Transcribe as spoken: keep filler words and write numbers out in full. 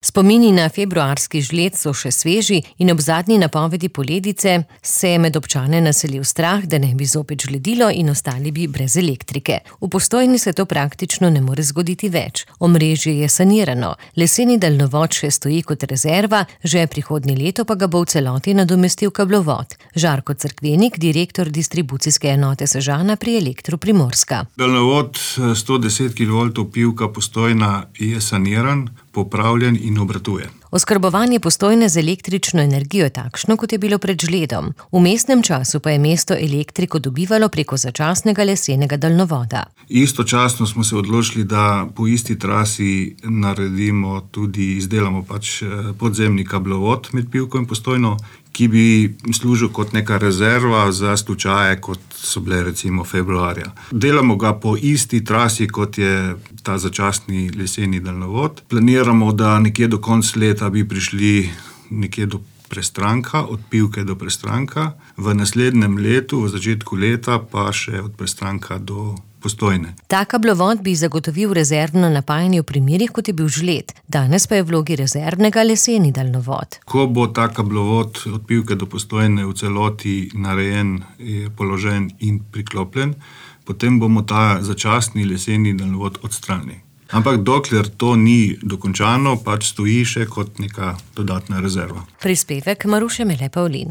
Spomini na februarski žled so še sveži in ob zadnji napovedi poledice se je med občane naselil strah, da ne bi zopet žledilo in ostali bi brez elektrike. V Postojni se to praktično ne more zgoditi več. Omrežje je sanirano, leseni daljnovod še stoji kot rezerva, že prihodnje leto pa ga bo v celoti nadomestil kablovod. Žarko Cerkvenik, direktor distribucijske enote Sežana pri Elektru Primorska. Daljnovod sto deset kilovoltov Pivka Postojna je saniran, popravljen in obratuje. Oskrbovanje Postojne z električno energijo je takšno, kot je bilo pred žledom. V mestnem času pa je mesto elektriko dobivalo preko začasnega lesenega daljnovoda. Istočasno smo se odločili, da po isti trasi naredimo tudi, izdelamo pač podzemni kablovod med Pivko in Postojno, ki bi služil kot neka rezerva za slučaje, kot so bile recimo februarja. Delamo ga po isti trasi, kot je ta začasni leseni daljnovod. Planiramo, da nekje do konca leta bi prišli nekje do Prestranka, od Pivke do Prestranka. V naslednjem letu, v začetku leta, pa še od Prestranka do Postojne. Ta kablovod bi zagotovil rezervno napajanje v primerih, kot je bil žled. Danes pa je v vlogi rezervnega leseni daljnovod. Ko bo ta kablovod od Pivke do Postojne v celoti narejen, je položen in priklopljen, potem bomo ta začasni leseni daljnovod odstranili. Ampak dokler to ni dokončano, pač stoji še kot neka dodatna rezerva. Prispevek Maruše Mele Pavlin.